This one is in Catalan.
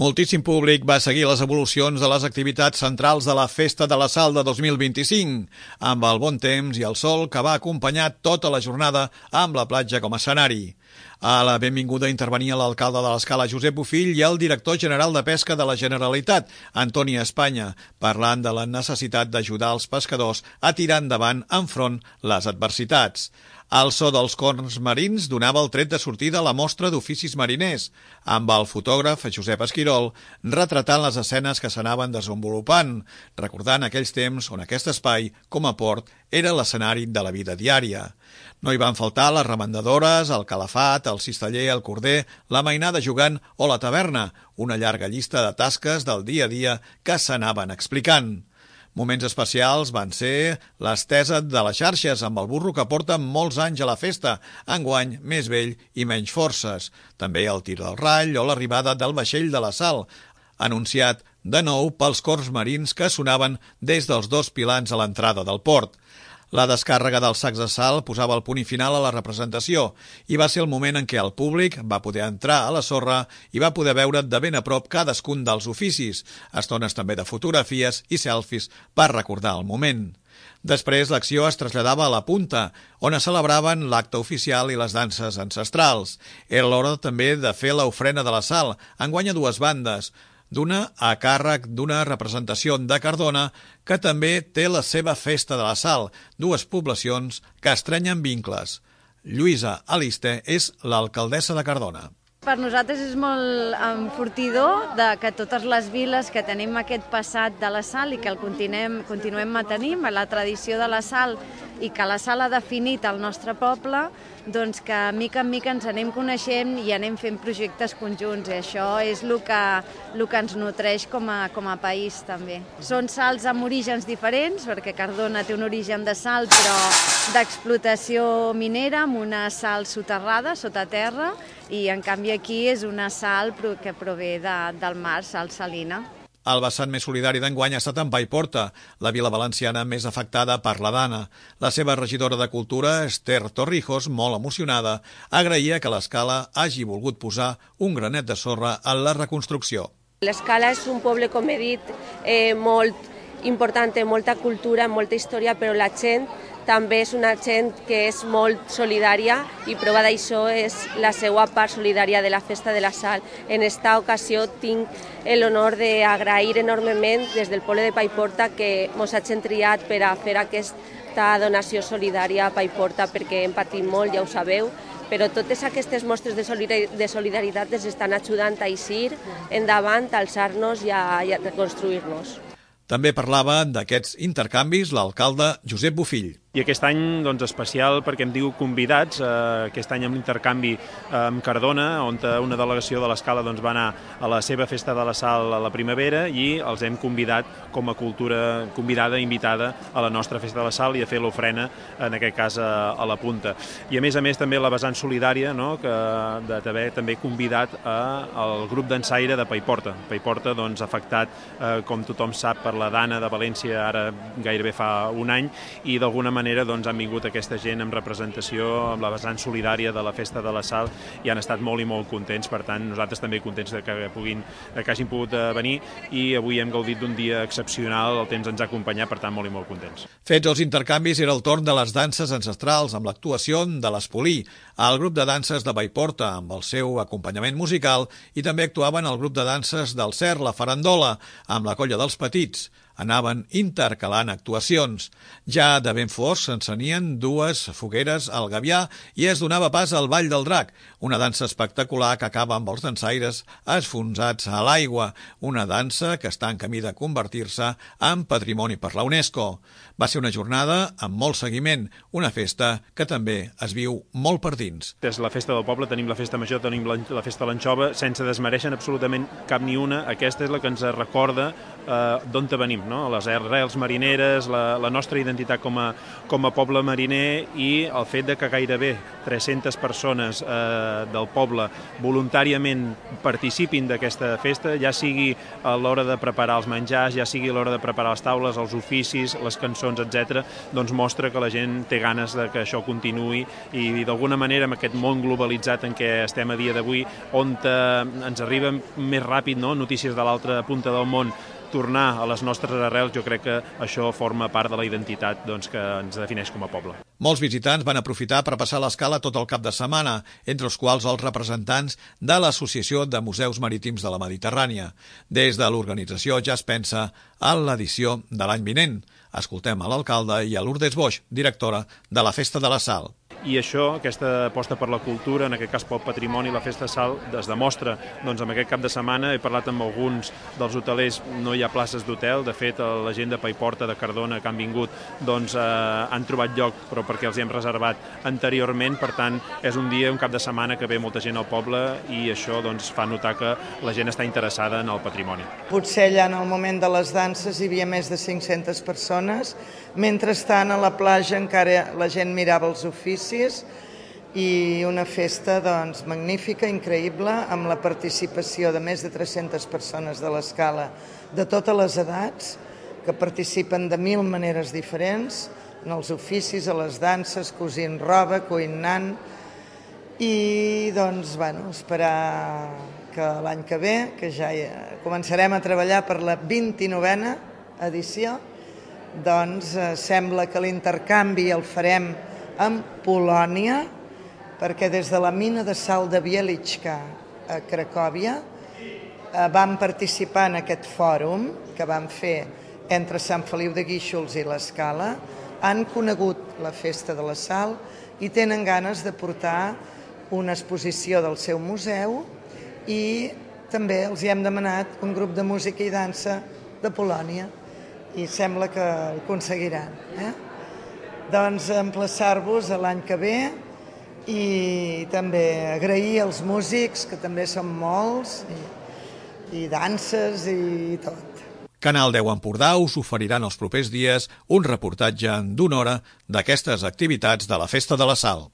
Moltíssim públic va seguir les evolucions de les activitats centrals de la Festa de la Sal de 2025, amb el bon temps i el sol que va acompanyar tota la jornada amb la platja com a escenari. A la benvinguda intervenia l'alcalde de l'Escala, Josep Bofill, i el director general de Pesca de la Generalitat, Antoni Espanya, parlant de la necessitat d'ajudar els pescadors a tirar endavant enfront les adversitats. El so dels corns marins donava el tret de sortida a la mostra d'oficis mariners, amb el fotògraf Josep Esquirol retratant les escenes que s'anaven desenvolupant, recordant aquells temps on aquest espai, com a port, era l'escenari de la vida diària. No hi van faltar les remendadores, el calafat, el cisteller, el corder, la mainada jugant o la taverna, una llarga llista de tasques del dia a dia que s'anaven explicant. Moments especials van ser l'estesa de les xarxes amb el burro que porta molts anys a la festa, enguany més vell i menys forces. També el tir del rall o l'arribada del vaixell de la Sal, anunciat de nou pels cors marins que sonaven des dels dos pilans a l'entrada del port. La descàrrega dels sacs de sal posava el punt i final a la representació i va ser el moment en què el públic va poder entrar a la sorra i va poder veure de ben a prop cadascun dels oficis, estones també de fotografies i selfies per recordar el moment. Després l'acció es traslladava a la punta, on es celebraven l'acte oficial i les danses ancestrals. Era l'hora també de fer l'ofrena de la sal, enguany a dues bandes, d'una a càrrec d'una representació de Cardona que també té la seva Festa de la Sal, dues poblacions que estrenyen vincles. Lluïsa Aliste és l'alcaldessa de Cardona. Per nosaltres és molt enfortidor que totes les viles que tenim aquest passat de la sal i que el continuem mantenint, la tradició de la sal i que la sal ha definit el nostre poble, doncs que mica en mica ens anem coneixent i anem fent projectes conjunts i això és el que ens nutreix com a país també. Són sals amb orígens diferents, perquè Cardona té un origen de sal però d'explotació minera amb una sal soterrada, sota terra, i en canvi aquí és una sal que prové del mar, sal salina. El vessant més solidari d'enguany ha estat en Paiporta, la vila valenciana més afectada per la Dana. La seva regidora de Cultura, Esther Torrijos, molt emocionada, agraïa que l'Escala hagi volgut posar un granet de sorra en la reconstrucció. L'Escala és un poble, com he dit, molt important, molta cultura, molta història, però la gent també és una gent que és molt solidària i prova d'això és la seva part solidària de la Festa de la Sal. En esta ocasió tinc l'honor d'agrair enormement des del poble de Paiporta que ens hagin triat per a fer aquesta donació solidària a Paiporta perquè hem patit molt, ja ho sabeu, però totes aquestes mostres de solidaritat ens estan ajudant a eixir endavant, a alçar-nos i a reconstruir-nos. També parlava d'aquests intercanvis l'alcalde Josep Bofill. I aquest any especial perquè em diu convidats, aquest any amb l'intercanvi amb Cardona, on una delegació de l'Escala va anar a la seva Festa de la Sal a la primavera i els hem convidat com a cultura convidada, invitada a la nostra Festa de la Sal i a fer l'ofrena, en aquest cas a la punta. I a més també la vessant solidària, d'haver també convidat al grup d'ensaire de Paiporta. Paiporta afectat, com tothom sap, per la Dana de València ara gairebé fa un any i d'alguna manera han vingut aquesta gent amb representació, amb la vessant solidària de la Festa de la Sal i han estat molt i molt contents, per tant nosaltres també contents que hagin pogut venir i avui hem gaudit d'un dia excepcional, el temps ens ha acompanyat, per tant molt i molt contents. Fets els intercanvis era el torn de les danses ancestrals amb l'actuació de l'Espolí, el grup de danses de Paiporta amb el seu acompanyament musical i també actuaven el grup de danses del Cer, la Farandola, amb la colla dels Petits. Anaven intercalant actuacions. Ja de ben fos s'encenien dues fogueres al Gavià i es donava pas al Ball del Drac, una dansa espectacular que acaba amb els dansaires esfonsats a l'aigua, una dansa que està en camí de convertir-se en patrimoni per la UNESCO. Va ser una jornada amb molt seguiment, una festa que també es viu molt per dins. Des de la festa del poble tenim la festa major, tenim la festa de l'anxova, sense desmereixen absolutament cap ni una. Aquesta és la que ens recorda d'on venim. no? Les arrels marineres, la nostra identitat com a poble mariner i el fet de que gairebé 300 persones del poble voluntàriament participin d'aquesta festa, ja sigui a l'hora de preparar els menjars, ja sigui a l'hora de preparar les taules, els oficis, les cançons, etc., doncs mostra que la gent té ganes de que això continuï i d'alguna manera amb aquest món globalitzat en què estem a dia d'avui, on ens arriben més ràpid, no?, notícies de l'altra punta del món, tornar a les nostres arrels, jo crec que això forma part de la identitat que ens defineix com a poble. Molts visitants van aprofitar per passar l'escala tot el cap de setmana, entre els quals els representants de l'Associació de Museus Marítims de la Mediterrània. Des de l'organització ja es pensa en l'edició de l'any vinent. Escoltem a l'alcalde i a Lourdes Boix, directora de la Festa de la Sal. I això, aquesta aposta per la cultura, en aquest cas pel patrimoni, la Festa de Sal, es demostra amb aquest cap de setmana. He parlat amb alguns dels hotelers, no hi ha places d'hotel, de fet la gent de Paiporta, de Cardona, que han vingut, han trobat lloc, però perquè els hem reservat anteriorment, per tant, és un dia, un cap de setmana que ve molta gent al poble i això fa notar que la gent està interessada en el patrimoni. Potser allà en el moment de les danses hi havia més de 500 persones, mentrestant a la platja encara la gent mirava els oficis i una festa magnífica, increïble, amb la participació de més de 300 persones de l'escala de totes les edats, que participen de 1000 maneres diferents, en els oficis, a les danses, cosint roba, cuinant, i esperar que l'any que ve, que ja començarem a treballar per la 29a edició, sembla que l'intercanvi el farem amb Polònia, perquè des de la mina de sal de Wieliczka a Cracòvia vam participar en aquest fòrum que vam fer entre Sant Feliu de Guíxols i l'Escala, han conegut la Festa de la Sal i tenen ganes de portar una exposició del seu museu i també els hi hem demanat un grup de música i dansa de Polònia i sembla que ho aconseguiran. Emplaçar-vos a l'any que ve i també agrair als músics, que també són molts, i danses i tot. Canal 10 Empordà us oferiran els propers dies un reportatge d'1 hora d'aquestes activitats de la Festa de la Sal.